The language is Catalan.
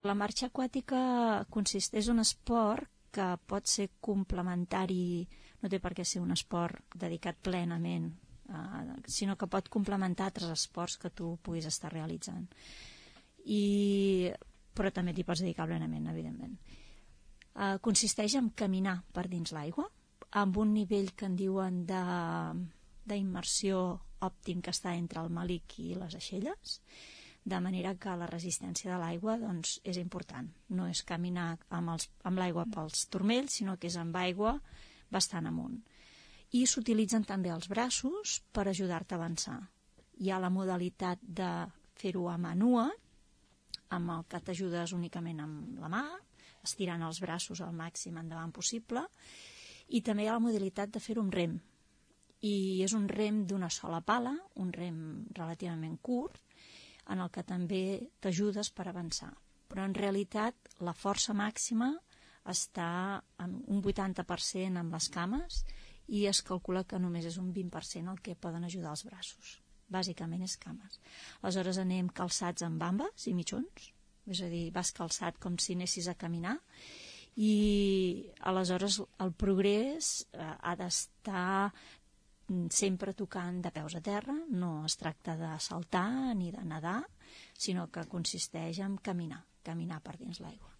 La marxa aquàtica és un esport que pot ser complementari, no té per què ser un esport dedicat plenament, sinó que pot complementar altres esports que tu puguis estar realitzant. Però també t'hi pots dedicar plenament, evidentment. Consisteix en caminar per dins l'aigua, amb un nivell que en diuen d'immersió òptim que està entre el màlic i les aixelles, de manera que la resistència de l'aigua doncs, és important. No és caminar amb l'aigua pels turmells, sinó que és amb aigua bastant amunt. I s'utilitzen també els braços per ajudar-te a avançar. Hi ha la modalitat de fer-ho a mà nua, amb el que t'ajudes únicament amb la mà, estirant els braços al màxim endavant possible, i també hi ha la modalitat de fer-ho amb rem. I és un rem d'una sola pala, un rem relativament curt, en el que també t'ajudes per avançar. Però en realitat la força màxima està en un 80% amb les cames i es calcula que només és un 20% el que poden ajudar els braços. Bàsicament és cames. Aleshores anem calçats amb bambes i mitjons, és a dir, vas calçat com si anessis a caminar, i aleshores el progrés ha d'estar sempre tocant de peus a terra, no es tracta de saltar ni de nedar, sinó que consisteix en caminar per dins l'aigua.